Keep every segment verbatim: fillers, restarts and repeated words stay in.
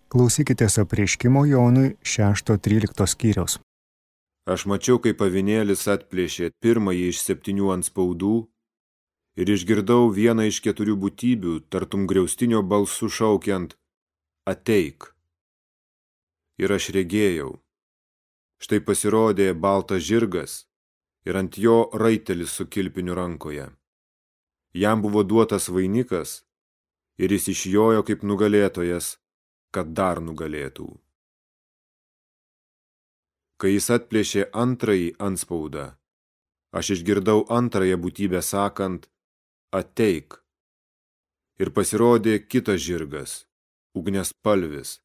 Klausykitės apreiškimo Jonui šešto trylikto skyriaus. Aš mačiau, kaip avinėlis atplėšė pirmąjį iš septynių antspaudų ir išgirdau vieną iš keturių būtybių, tartum griaustinio balsu šaukiant: ateik. Ir aš regėjau. Štai pasirodė baltas žirgas ir ant jo raitelis su kilpiniu rankoje. Jam buvo duotas vainikas ir jis išjojo kaip nugalėtojas, kad dar nugalėtų. Kai jis atplėšė antrąjį antspaudą, aš išgirdau antrąją būtybę sakant: ateik. Ir pasirodė kitas žirgas, ugniaspalvis,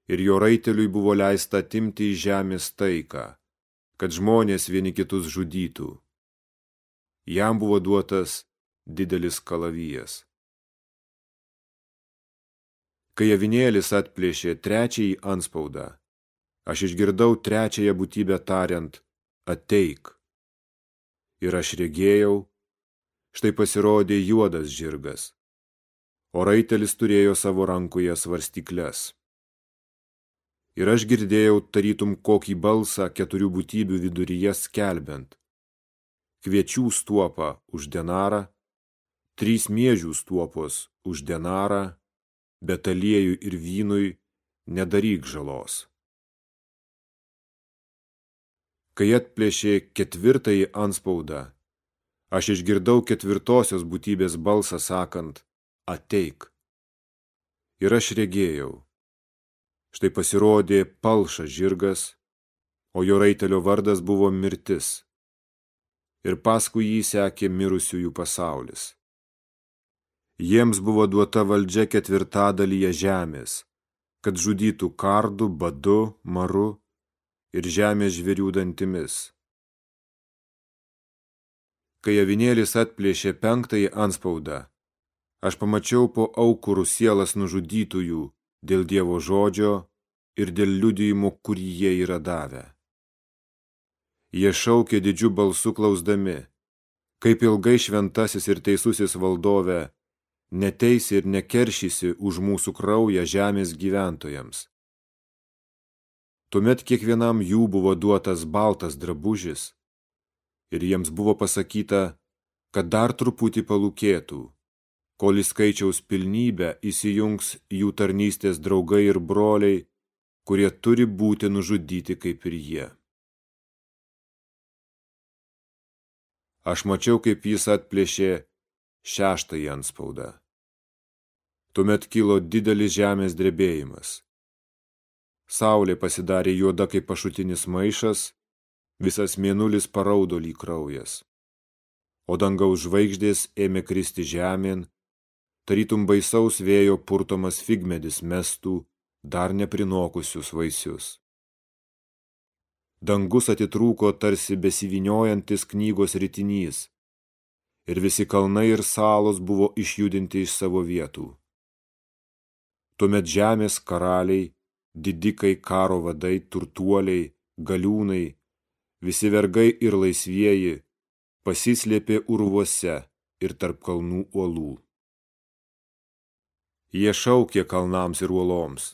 ir jo raiteliui buvo leista atimti iš žemės taiką, kad žmonės vieni kitus žudytų. Jam buvo duotas didelis kalavijas. Kai avinėlis atplėšė trečiąjį antspaudą, aš išgirdau trečiąją būtybę tariant: ateik. Ir aš regėjau, štai pasirodė juodas žirgas, o raitelis turėjo savo rankoje svarstykles. Ir aš girdėjau tarytum kokį balsą keturių būtybių viduryje skelbiant: kviečių stuopa už denarą, trys miežių stuopos už denarą, bet aliejui ir vynui nedaryk žalos. Kai atplėšė ketvirtąjį antspaudą, aš išgirdau ketvirtosios būtybės balsą sakant: ateik. Ir aš regėjau. Štai pasirodė palšas žirgas, o jo raitelio vardas buvo mirtis. Ir paskui jį sekė mirusiųjų pasaulis. Jiems buvo duota valdžia ketvirtadalyje žemės, kad žudytų kardu, badu, maru ir žemės žvėrių dantimis. Kai avinėlis atplėšė penktąjį antspaudą, aš pamačiau po aukurų sielas nužudytųjų dėl Dievo žodžio ir dėl liudijimo, kurį jie yra davę. Jie šaukė didžiu balsu klausdami: kaip ilgai šventasis ir teisusis valdove neteisi ir nekeršysi už mūsų kraują žemės gyventojams. Tuomet kiekvienam jų buvo duotas baltas drabužis, ir jiems buvo pasakyta, kad dar truputį palūkėtų, kol į skaičiaus pilnybę įsijungs jų tarnystės draugai ir broliai, kurie turi būti nužudyti kaip ir jie. Aš mačiau, kaip jis atplėšė šeštąjį antspaudą. Tuomet kilo didelis žemės drebėjimas. Saulė pasidarė juoda kaip pašutinis maišas, visas mėnulis paraudo lyg kraujas. O dangaus žvaigždės ėmė kristi žemėn, tarytum baisaus vėjo purtomas figmedis mestų dar neprinokusius vaisius. Dangus atitrūko tarsi besivyniojantis knygos ritinys, ir visi kalnai ir salos buvo išjudinti iš savo vietų. Tuomet žemės karaliai, didikai, karo vadai, turtuoliai, galiūnai, visi vergai ir laisvieji pasislėpė urvuose ir tarp kalnų uolų. Jie šaukė kalnams ir uoloms: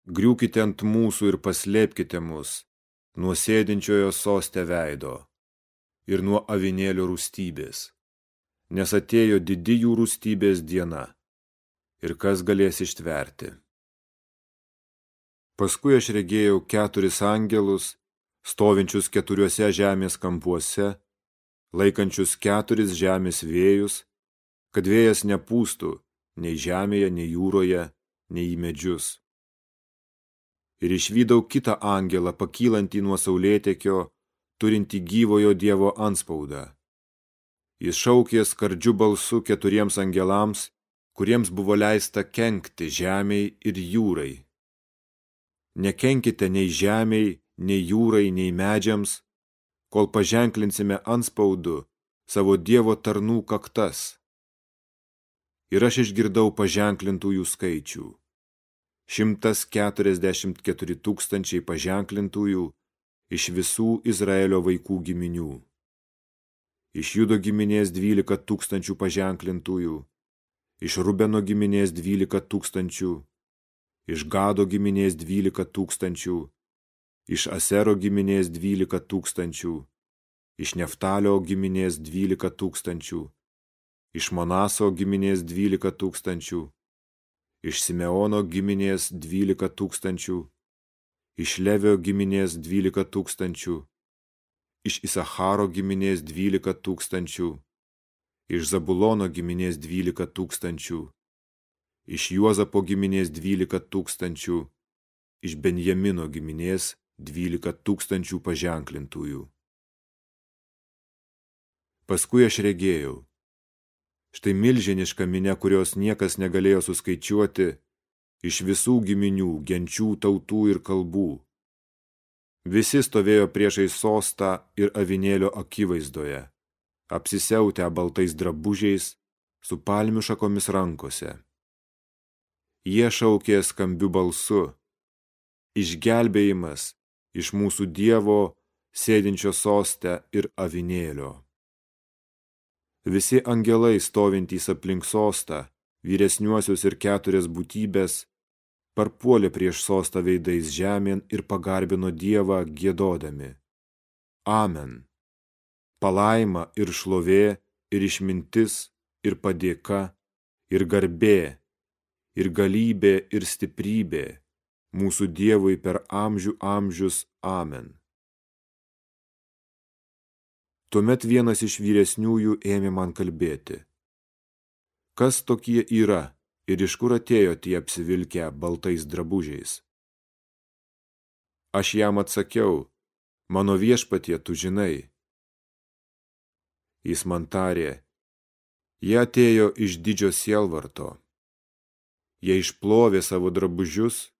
griūkite ant mūsų ir paslėpkite mus nuo sėdinčiojo soste veido ir nuo avinėlio rūstybės, nes atėjo didi jų rūstybės diena, ir kas galės ištverti. Paskui aš regėjau keturis angelus, stovinčius keturiuose žemės kampuose, laikančius keturis žemės vėjus, kad vėjas nepūstų nei žemėje, nei jūroje, nei į medžius. Ir išvydau kitą angelą pakylantį nuo saulėtekio, turintį gyvojo Dievo antspaudą. Jis šaukė skardžiu balsu keturiems angelams, kuriems buvo leista kenkti žemei ir jūrai. Nekenkite nei žemei, nei jūrai, nei medžiams, kol paženklinsime antspaudu savo Dievo tarnų kaktas. Ir aš išgirdau paženklintųjų skaičių. Šimtas keturiasdešimt keturi tūkstančiai paženklintųjų iš visų Izraelio vaikų giminių. Iš Judo giminės dvylika tūkstančių paženklintųjų, iš Rubeno giminės dvylika tūkstančių, iš Gado giminės dvylika tūkstančių, iš Asero giminės dvylika tūkstančių, iš Neftalio giminės dvylika tūkstančių, iš Manaso giminės dvylika tūkstančių, iš Simeono giminės dvylika tūkstančių, iš Levio giminės dvylika tūkstančių, iš Isacharo giminės dvylika tūkstančių, iš Zabulono giminės dvylika tūkstančių, iš Juozapo giminės dvylika tūkstančių, iš Benjamino giminės dvylika tūkstančių paženklintųjų. Paskui aš regėjau. Štai milžiniška minia, kurios niekas negalėjo suskaičiuoti, iš visų giminių, genčių, tautų ir kalbų. Visi stovėjo priešais sostą ir avinėlio akivaizdoje, apsisiautę baltais drabužiais, su palmių šakomis rankose. Jie šaukė skambiu balsu: išgelbėjimas iš mūsų Dievo, sėdinčio soste ir avinėlio. Visi angelai stovintys aplink sostą, vyresniuosius ir keturias būtybės, parpuolė prieš sostą veidais žemėn ir pagarbino Dievą giedodami: Amen. Palaima ir šlovė, ir išmintis, ir padėka, ir garbė, ir galybė, ir stiprybė mūsų Dievui per amžių amžius. Amen. Tuomet vienas iš vyresniųjų ėmė man kalbėti: kas tokie yra ir iš kur atėjo tie apsivilkę baltais drabužiais? Aš jam atsakiau: mano viešpatie, tu žinai. Jis man tarė: jie atėjo iš didžio sielvarto. Jie išplovė savo drabužius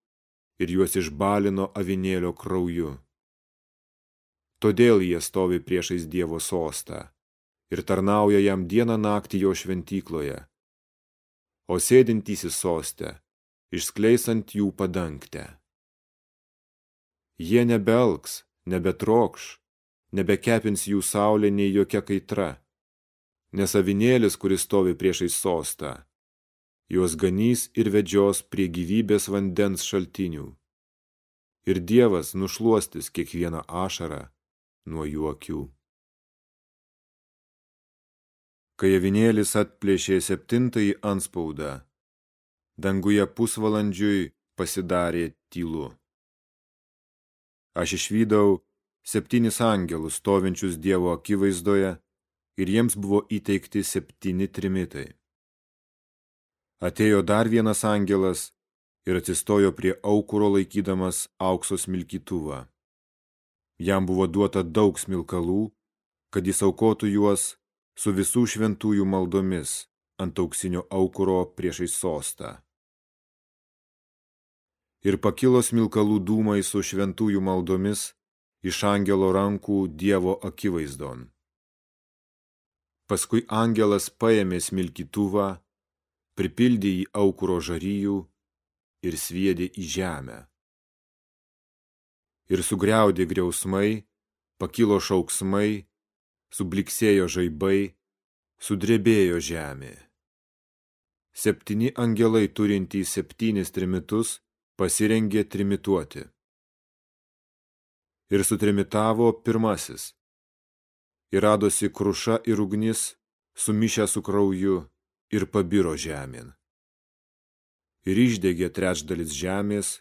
ir juos išbalino avinėlio krauju. Todėl jie stovi priešais Dievo sostą ir tarnauja jam dieną naktį jo šventykloje, o sėdintysis soste išskleis ant jų padangtę. Jie nebelks, nebetrokš, nebekepins jų saulė nei jokia kaitra, nes avinėlis, kuris stovi priešais sostą, juos ganys ir vedžios prie gyvybės vandens šaltinių, ir Dievas nušluostys kiekvieną ašarą nuo jų akių. Kai avinėlis atplėšė septintąjį antspaudą, danguje pusvalandžiui pasidarė tylu. Aš išvydau septynis angelus stovinčius Dievo akivaizdoje ir jiems buvo įteikti septyni trimitai. Atėjo dar vienas angelas ir atsistojo prie aukuro laikydamas aukso smilkytuvą. Jam buvo duota daug smilkalų, kad jis aukotų juos su visų šventųjų maldomis ant auksinio aukuro priešais sostą. Ir pakilo smilkalų dūmai su šventųjų maldomis iš angelo rankų Dievo akivaizdon. Paskui angelas paėmė smilkytuvą, pripildė jį aukuro žarijų ir sviedė į žemę. Ir sugriaudė griausmai, pakilo šauksmai, subliksėjo žaibai, sudrebėjo žemė. Septyni angelai turintys septynis trimitus pasirengė trimituoti. Ir sutrimitavo pirmasis. Ir radosi kruša ir ugnis, sumišę su krauju, ir pabiro žemėn. Ir išdegė trečdalis žemės,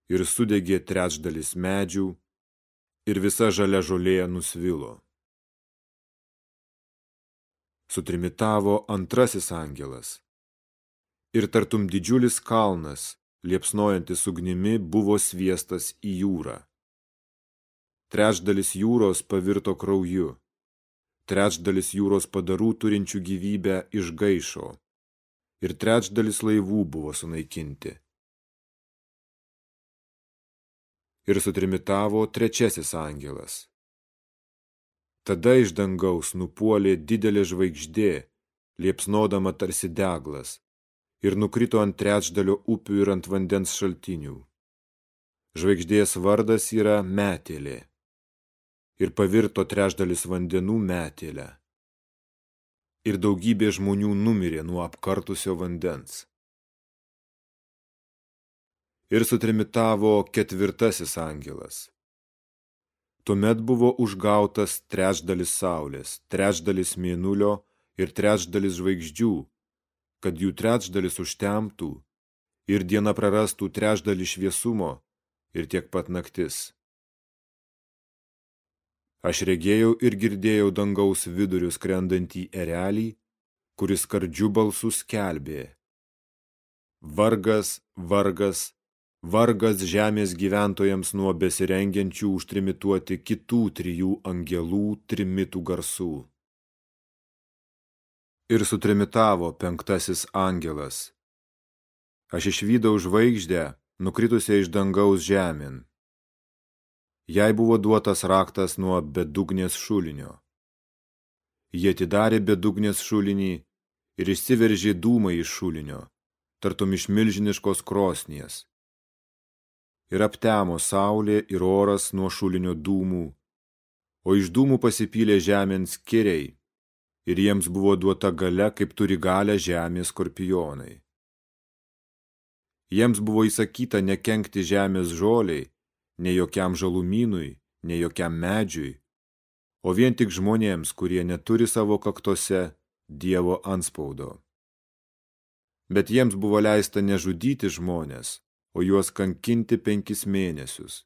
ir sudegė trečdalis medžių, ir visa žalia žolė nusvilo. Sutrimitavo antrasis angelas. Ir tartum didžiulis kalnas, liepsnojantis ugnimi, buvo sviestas į jūrą. Trečdalis jūros pavirto krauju, trečdalis jūros padarų turinčių gyvybę išgaišo, ir trečdalis laivų buvo sunaikinti. Ir sutrimitavo trečiasis angelas. Tada iš dangaus nupuolė didelė žvaigždė, liepsnodama tarsi deglas, ir nukrito ant trečdalio upių ir ant vandens šaltinių. Žvaigždės vardas yra Metėlė, ir pavirto trečdalis vandenų metėlę. Ir daugybė žmonių numirė nuo apkartusio vandens. Ir sutrimitavo ketvirtasis angelas. Tuomet buvo užgautas trečdalis saulės, trečdalis mėnulio ir trečdalis žvaigždžių, kad jų trečdalis užtemtų ir diena prarastų trečdalį šviesumo ir tiek pat naktis. Aš regėjau ir girdėjau dangaus vidurių skrendantį erelį, kuris skardžiu balsu skelbė: Vargas, vargas, vargas žemės gyventojams nuo besirengiančių užtrimituoti kitų trijų angelų trimitų garsų. Ir sutrimitavo penktasis angelas. Aš išvydau žvaigždę, nukritusią iš dangaus žemėn. Jai buvo duotas raktas nuo bedugnės šulinio. Jie atidarė bedugnės šulinį ir išsiveržė dūmai iš šulinio, tartum iš milžiniškos krosnies. Ir aptemo saulė ir oras nuo šulinio dūmų, o iš dūmų pasipylė žemėn skiriai, ir jiems buvo duota galia, kaip turi galią žemės skorpionai. Jiems buvo įsakyta nekenkti žemės žoliai, nei jokiam žalumynui, nei jokiam medžiui, o vien tik žmonėms, kurie neturi savo kaktose Dievo antspaudo. Bet jiems buvo leista nežudyti žmonės, o juos kankinti penkis mėnesius.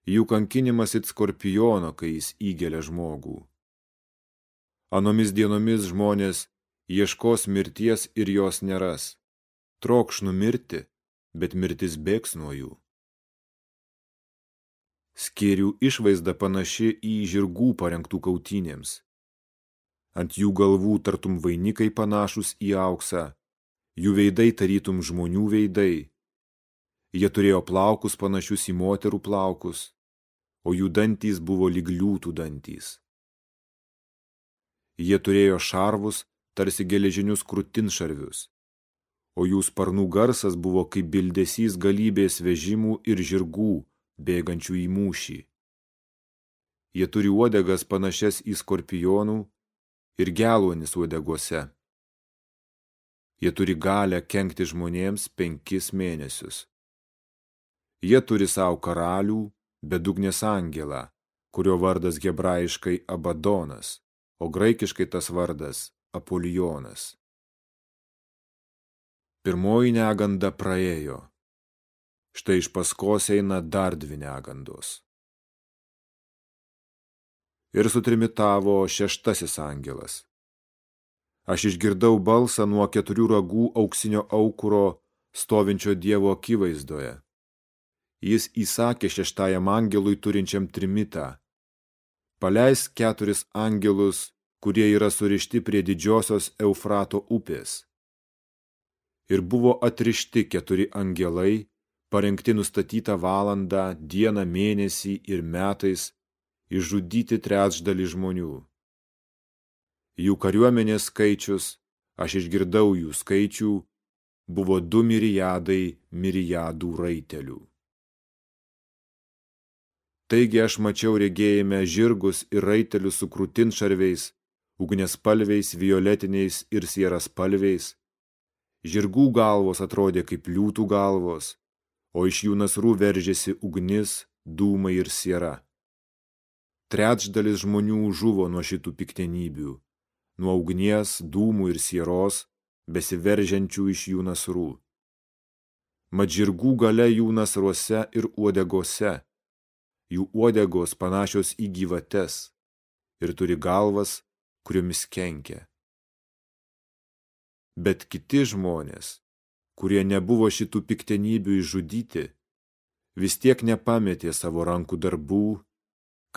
Jų kankinimas it skorpiono, kai jis įgelia žmogų. Anomis dienomis žmonės ieškos mirties ir jos neras. Trokš numirti, bet mirtis bėgs nuo jų. Skėrių išvaizda panaši į žirgų parengtų kautynėms. Ant jų galvų tartum vainikai panašus į auksą, jų veidai tarytum žmonių veidai. Jie turėjo plaukus panašius į moterų plaukus, o jų dantys buvo lyg liūtų dantys. Jie turėjo šarvus, tarsi geležinius krūtinšarvius, o jų sparnų garsas buvo kaip bildesys galybės vežimų ir žirgų, bėgančių į mūšį. Jie turi uodegas panašias į skorpionų ir geluonis uodegose. Jie turi galią kenkti žmonėms penkis mėnesius. Jie turi savo karalių, bedugnės angelą, kurio vardas hebrajiškai Abadonas, o graikiškai tas vardas Apolijonas. Pirmoji neganda praėjo. Štai iš paskos eina dar dvi negandos. Ir sutrimitavo šeštasis angelas. Aš išgirdau balsą nuo keturių ragų auksinio aukuro stovinčio Dievo akivaizdoje. Jis įsakė šeštajam angelui turinčiam trimitą: Paleisk keturis angelus, kurie yra surišti prie didžiosios Eufrato upės. Ir buvo atrišti keturi angelai, parengti nustatytą valandą, dieną, mėnesį ir metais, išžudyti trečdalį žmonių. Jų kariuomenės skaičius, aš išgirdau jų skaičių, buvo du mirijadai mirijadų raitelių. Taigi aš mačiau regėjime žirgus ir raitelius su krūtinšarviais, ugniaspalviais, violetiniais ir sieraspalviais. Žirgų galvos atrodė kaip liūtų galvos, o iš jų nasrų veržėsi ugnis, dūmai ir siera. Trečdalis žmonių žuvo nuo šitų piktenybių, nuo ugnies, dūmų ir sieros, besiveržiančių iš jų nasrų. Mat žirgų galia jų nasruose ir uodegose, jų uodegos panašios į gyvates ir turi galvas, kuriomis kenkia. Bet kiti žmonės, kurie nebuvo šitų piktenybių išžudyti, vis tiek nepametė savo rankų darbų,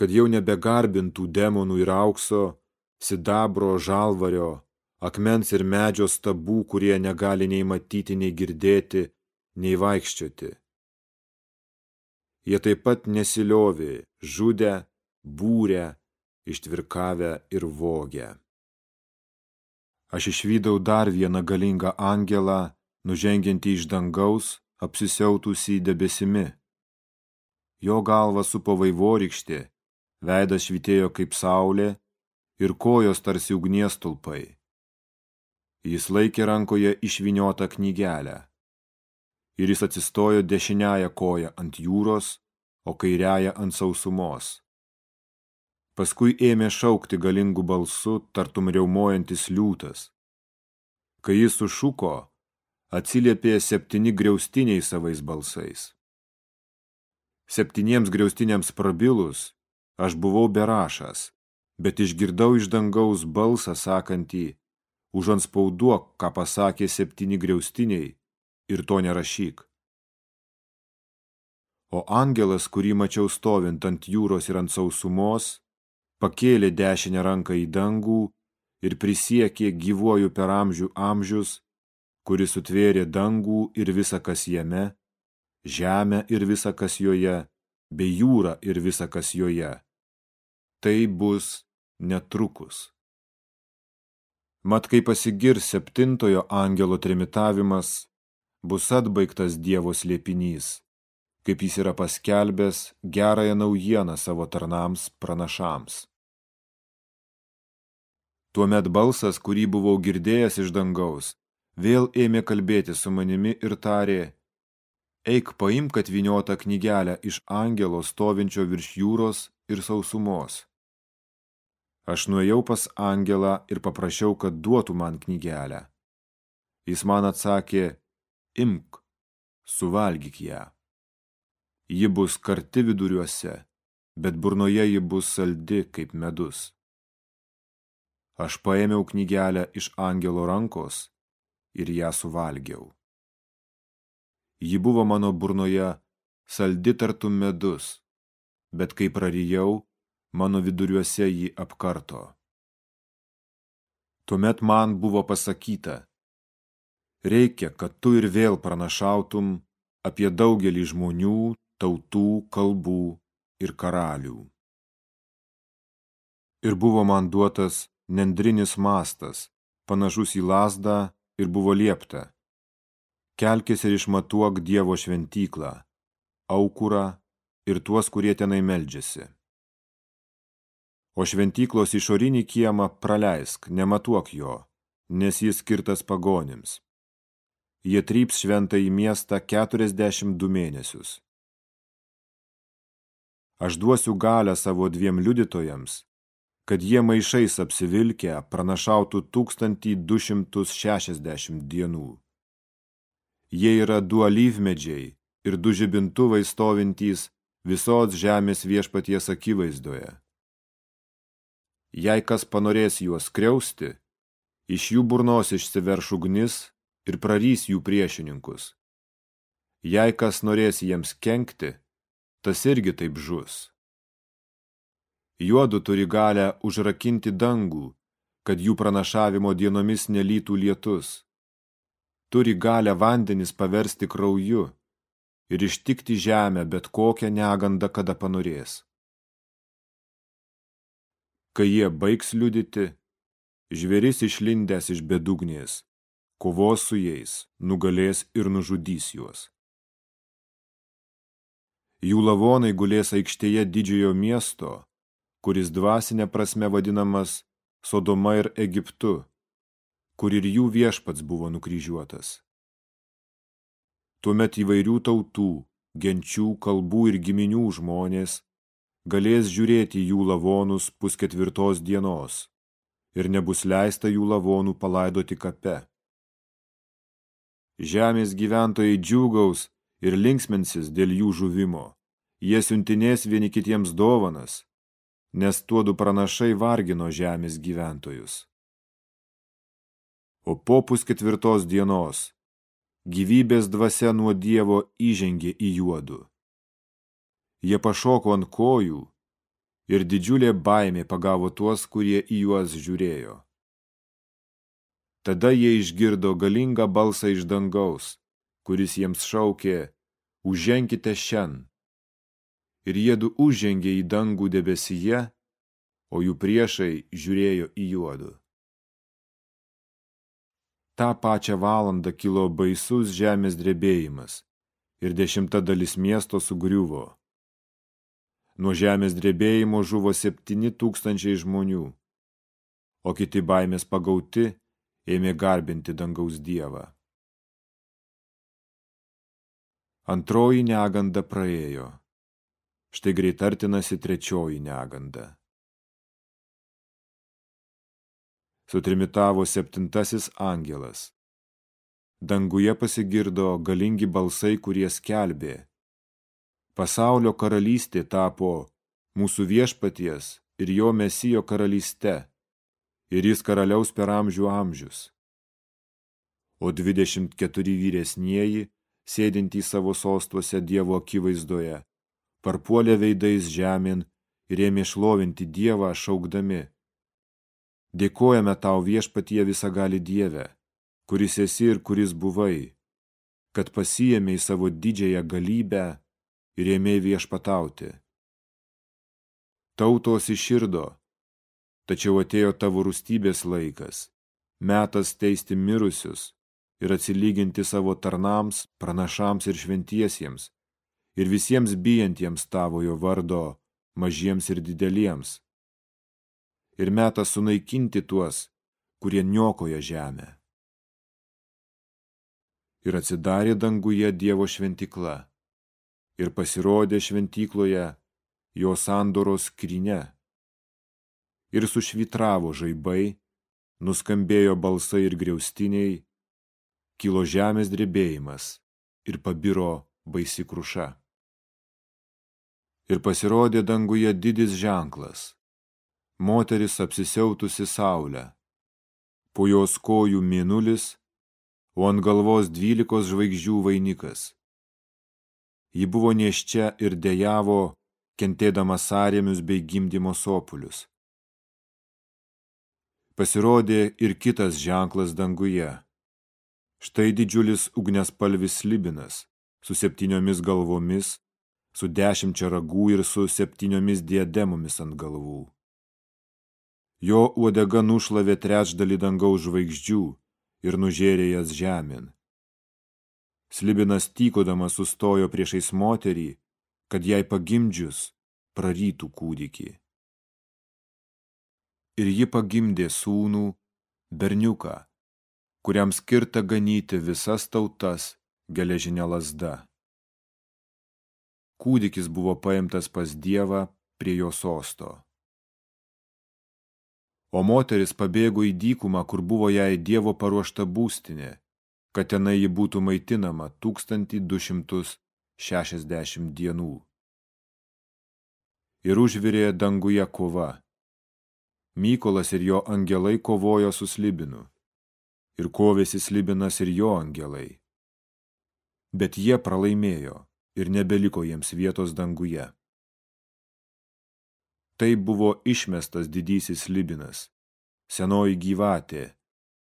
kad jau nebegarbintų demonų ir aukso, sidabro, žalvario, akmens ir medžio stabų, kurie negali nei matyti, nei girdėti, nei vaikščioti. Jie taip pat nesiliovė, žudę, būrę, ištvirkavę ir vogę. Aš išvydau dar vieną galingą angelą, nužengiantį iš dangaus, apsisiautusį debesimi. Jo galva supo vaivorykštė, veidas švytėjo kaip saulė ir kojos tarsi ugnies stulpai. Jis laikė rankoje išvyniotą knygelę. ir jis atsistojo dešiniąją koją ant jūros, o kairiąją ant sausumos. Paskui ėmė šaukti galingų balsu, tartum riaumojantis liūtas. Kai jis sušuko, atsiliepė septyni griaustiniai savais balsais. Septyniems griaustiniams prabilus, aš buvau berašas, bet išgirdau iš dangaus balsą sakantį, užantspauduok, ką pasakė septyni griaustiniai, ir to nerašyk. O angelas, kurį mačiau stovint ant jūros ir ant sausumos, pakėlė dešinę ranką į dangų ir prisiekė gyvuoju per amžių amžius, kuris sutvėrė dangų ir visa, kas jame, žemę ir visa, kas joje, bei jūrą ir visa, kas joje. Tai bus netrukus. Mat, kai pasigirs septintojo angelo trimitavimas, bus atbaigtas Dievo slėpinys, kaip jis yra paskelbęs gerąją naujieną savo tarnams pranašams. Tuomet balsas, kurį buvau girdėjęs iš dangaus, vėl ėmė kalbėti su manimi ir tarė, eik paimk atvyniotą knygelę iš angelo stovinčio virš jūros ir sausumos. Aš nuėjau pas angelą ir paprašiau, kad duotų man knygelę. Jis man atsakė, imk, suvalgyk ją. Ji bus karti viduriuose, bet burnoje ji bus saldi kaip medus. Aš paėmiau knygelę iš angelo rankos ir ją suvalgiau. Ji buvo mano burnoje saldi tartum medus, bet kai prarijau, mano viduriuose jį apkarto. Tuomet man buvo pasakyta, reikia, kad tu ir vėl pranašautum apie daugelį žmonių, tautų, kalbų ir karalių. Ir buvo man duotas nendrinis mastas, panašus į lazdą, ir buvo liepta, kelkis ir išmatuok Dievo šventyklą, aukurą ir tuos, kurie tenai meldžiasi. O šventyklos išorinį kiemą praleisk, nematuok jo, nes jis skirtas pagonims. Jie tryps šventąjį miestą keturiasdešimt du mėnesius. Aš duosiu galią savo dviem liudytojams, kad jie maišais apsivilkę pranašautų tūkstantį du šimtus šešiasdešimt dienų. Jie yra du alyvmedžiai ir du žibintuvai stovintys visos žemės viešpaties akivaizdoje. Jei kas panorės juos skriausti, iš jų burnos išsiverš ugnis ir prarys jų priešininkus. Jei kas norės jiems kenkti, tas irgi taip žus. Juodu turi galią užrakinti dangų, kad jų pranašavimo dienomis nelytų lietus. Turi galią vandenis paversti krauju ir ištikti žemę bet kokią negandą, kada panorės. Kai jie baigs liudyti, žvėris išlindęs iš bedugnės, kovos su jais, nugalės ir nužudys juos. Jų lavonai gulės aikštėje didžiojo miesto, kuris dvasinė prasme vadinamas Sodoma ir Egiptu, kur ir jų viešpats buvo nukryžiuotas. Tuomet įvairių tautų, genčių, kalbų ir giminių žmonės galės žiūrėti jų lavonus pusketvirtos dienos ir nebus leista jų lavonų palaidoti kape. Žemės gyventojai džiūgaus ir linksminsis dėl jų žuvimo. Jie siuntinės vieni kitiems dovanas, nes tuodu pranašai vargino žemės gyventojus. O po pusketvirtos dienos gyvybės dvasia nuo Dievo įžengė į juodu. Jie pašoko ant kojų ir didžiulė baimė pagavo tuos, kurie į juos žiūrėjo. Tada jie išgirdo galingą balsą iš dangaus, kuris jiems šaukė, užženkite šen. Ir jiedu užžengė į dangų debesyje, o jų priešai žiūrėjo į juodu. Ta pačią valandą kilo baisus žemės drebėjimas ir dešimta dalis miesto sugriuvo. Nuo žemės drebėjimo žuvo septyni tūkstančiai žmonių, o kiti baimės pagauti ėmė garbinti dangaus Dievą. Antroji neganda praėjo. Štai greit artinasi trečioji neganda. Sutrimitavo septintasis angelas. Danguje pasigirdo galingi balsai, kurie skelbė: pasaulio karalystė tapo mūsų viešpaties ir jo Mesijo karalyste, ir jis karaliaus per amžių amžius. O dvidešimt keturi vyresnieji, sėdintys savo sostuose Dievo akivaizdoje, parpuolė veidais žemėn ir ėmė šlovinti Dievą, šaukdami: dėkojame tau, viešpatie visagali Dieve, kuris esi ir kuris buvai, kad pasiėmei savo didžiąją galybę ir ėmei viešpatauti. Tautos iširdo, tačiau atėjo tavo rūstybės laikas, metas teisti mirusius ir atsilyginti savo tarnams, pranašams ir šventiesiems, ir visiems bijantiems tavojo vardo, mažiems ir dideliems. Ir metas sunaikinti tuos, kurie niokoja žemę. Ir atsidarė danguje Dievo šventikla, ir pasirodė šventikloje jo sandoros skrynia. Ir sušvitravo žaibai, nuskambėjo balsai ir griaustiniai, kilo žemės drebėjimas ir pabiro baisi kruša. Ir pasirodė danguje didis ženklas, moteris apsisiautusi saulę, po jos kojų mėnulis, o ant galvos dvylikos žvaigždžių vainikas. Ji buvo nėščia ir dejavo, kentėdama sąrėmius bei gimdymo sopulius. Pasirodė ir kitas ženklas danguje. Štai didžiulis ugniaspalvis slibinas, su septyniomis galvomis, su dešimčia ragų ir su septyniomis diademomis ant galvų. Jo uodega nušlavė trečdalį dangaus žvaigždžių ir nužėrė jas žemėn. Slibinas tykodamas sustojo priešais moterį, kad jai pagimdžius prarytų kūdikį. Ir ji pagimdė sūnų, berniuką, kuriam skirta ganyti visas tautas geležinė lazda. Kūdikis buvo paimtas pas Dievą prie jo sosto. O moteris pabėgo į dykumą, kur buvo jai Dievo paruošta būstinė, kad tenai ji būtų maitinama tūkstantį du šimtus šešiasdešimt dienų. Ir užvirė danguje kova. Mykolas ir jo angelai kovojo su slibinu, ir kovėsi slibinas ir jo angelai. Bet jie pralaimėjo ir nebeliko jiems vietos danguje. Tai buvo išmestas didysis slibinas, senoji gyvatė,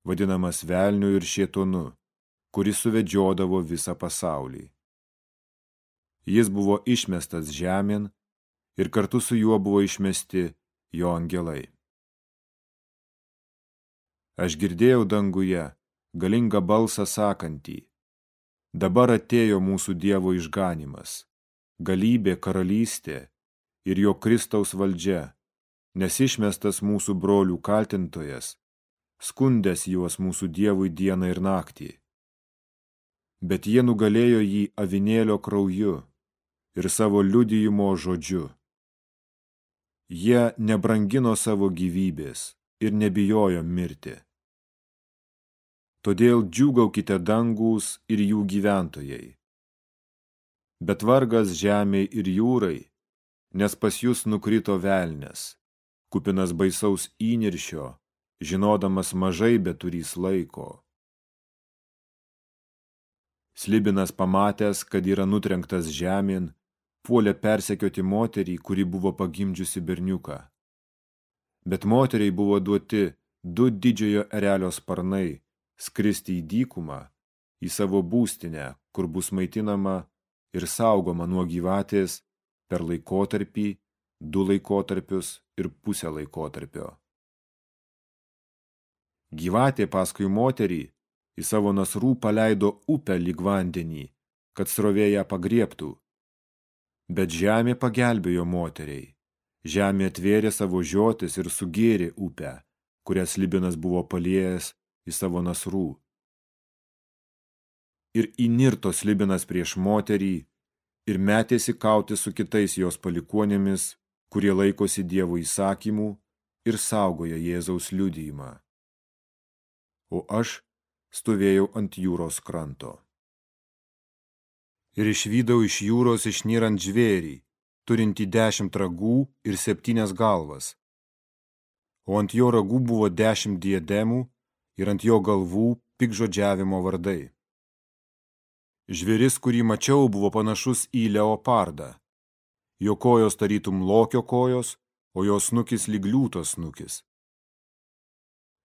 vadinamas velniu ir šėtonu, kuris suvedžiodavo visą pasaulį. Jis buvo išmestas žemėn ir kartu su juo buvo išmesti jo angelai. Aš girdėjau danguje galingą balsą sakantį: dabar atėjo mūsų Dievo išganimas, galybė, karalystė ir jo Kristaus valdžia, nes išmestas mūsų brolių kaltintojas, skundęs juos mūsų Dievui dieną ir naktį. Bet jie nugalėjo jį avinėlio krauju ir savo liudijimo žodžiu. Jie nebrangino savo gyvybės ir nebijojo mirti. Todėl džiūgaukite dangūs ir jų gyventojai. Bet vargas žemei ir jūrai, nes pas jūs nukrito velnias, kupinas baisaus įniršio, žinodamas mažai beturys laiko. Slibinas pamatęs, kad yra nutrenktas žemėn, puolė persekioti moterį, kuri buvo pagimdžiusi berniuką. Bet moteriai buvo duoti du didžiojo erelio sparnai skristi į dykumą, į savo būstinę, kur bus maitinama ir saugoma nuo gyvatės per laikotarpį, du laikotarpius ir pusę laikotarpio. Gyvatė paskui moterį į savo nasrų paleido upę lyg vandenį, kad srovė ją pagriebtų. Bet žemė pagelbėjo moteriai. Žemė atvėrė savo žiotis ir sugėrė upę, kurią slibinas buvo paliejęs į savo nasrų. ir įnirto Slibinas prieš moterį ir metėsi kauti su kitais jos palikuonėmis, kurie laikosi Dievo įsakymų ir saugoja Jėzaus liudijimą. O aš stovėjau ant jūros kranto. Ir išvydau iš jūros išnyrant žvėrį, turintį dešimt ragų ir septynias galvas. O ant jo ragų buvo dešimt diademų ir ant jo galvų piktžodžiavimo vardai. Žvėris, kurį mačiau, buvo panašus į leopardą. Jo kojos tarytum lokio kojos, o jo snukis lyg liūto snukis.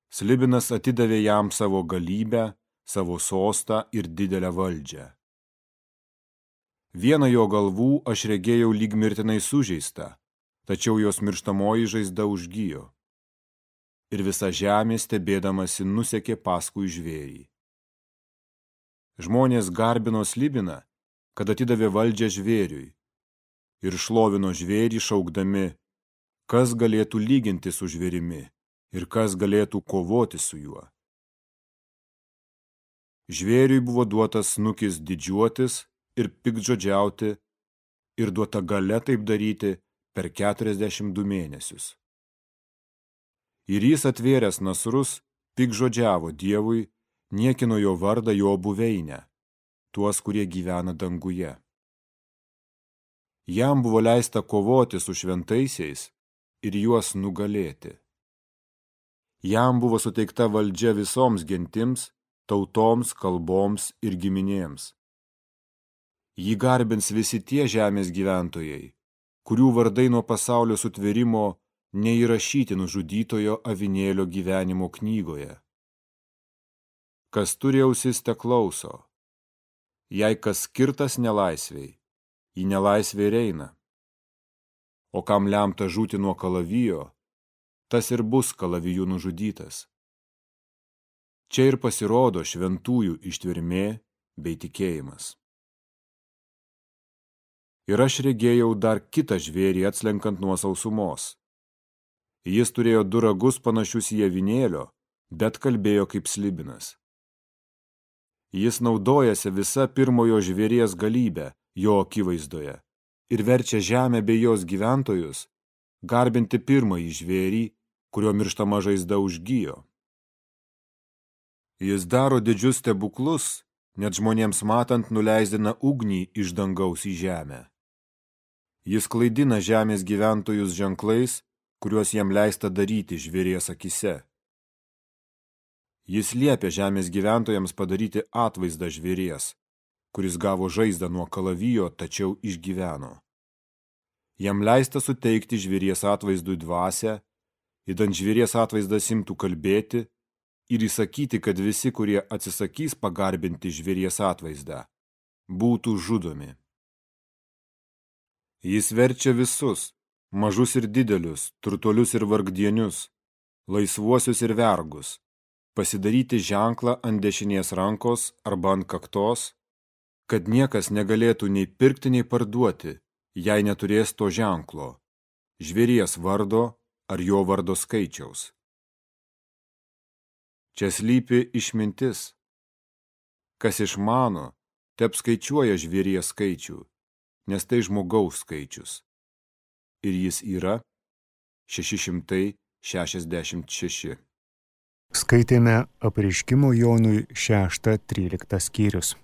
Slibinas atidavė jam savo galybę, savo sostą ir didelę valdžią. Vieną jo galvų aš regėjau lyg mirtinai sužeistą, tačiau jos mirštamoji žaizda užgijo. Ir visa žemė stebėdamasi nusekė paskui žvėrį. Žmonės garbino Slibiną, kad atidavė valdžią žvėriui, ir šlovino žvėrį šaukdami, kas galėtų lyginti su žvėrimi ir kas galėtų kovoti su juo. Žvėriui buvo duotas snukis didžiuotis ir piktžodžiauti ir duota galia taip daryti per keturiasdešimt du mėnesius. Ir jis atvėręs nasrus piktžodžiavo Dievui, niekino jo vardą jo buveinę, tuos, kurie gyvena danguje. Jam buvo leista kovoti su šventaisiais ir juos nugalėti. Jam buvo suteikta valdžia visoms gentims, tautoms, kalboms ir giminėms. Jį garbins visi tie žemės gyventojai, kurių vardai nuo pasaulio sutvėrimo neįrašyti nužudytojo avinėlio gyvenimo knygoje. Kas turi ausis, te klauso. Jei kas skirtas nelaisvei, į nelaisvę ir eina. O kam lemta žūti nuo kalavijo, tas ir bus kalaviju nužudytas. Čia ir pasirodo šventųjų ištvermė bei tikėjimas. Ir aš regėjau dar kitą žvėrį atslenkant nuo sausumos. Jis turėjo du ragus panašius į avinėlio, bet kalbėjo kaip Slibinas. Jis naudojasi visa pirmojo žvėries galybę jo akivaizdoje ir verčia žemę bei jos gyventojus garbinti pirmąjį žvėrį, kurio mirštama žaizda užgijo. Jis daro didžius stebuklus, net žmonėms matant nuleisdina ugnį iš dangaus į žemę. Jis klaidina žemės gyventojus ženklais, kuriuos jam leista daryti žvėries akise. Jis liepia žemės gyventojams padaryti atvaizdą žvėries, kuris gavo žaizdą nuo kalavijo, tačiau išgyveno. Jam leista suteikti žvėries atvaizdui dvasią, idant žvėries atvaizdas imtų kalbėti ir įsakyti, kad visi, kurie atsisakys pagarbinti žvėries atvaizdą, būtų žudomi. Jis verčia visus, mažus ir didelius, turtuolius ir vargdienius, laisvuosius ir vergus, pasidaryti ženklą ant dešinės rankos arba ant kaktos, kad niekas negalėtų nei pirkti, nei parduoti, jei neturės to ženklo, žvėries vardo ar jo vardo skaičiaus. Čia slypi išmintis. Kas išmano, te apskaičiuoja žvėries skaičių, nes tai žmogaus skaičius. Ir jis yra šeši šimtai šešiasdešimt šeši. Skaitėme Apreiškimo Jonui šeštą tryliktą skyrius.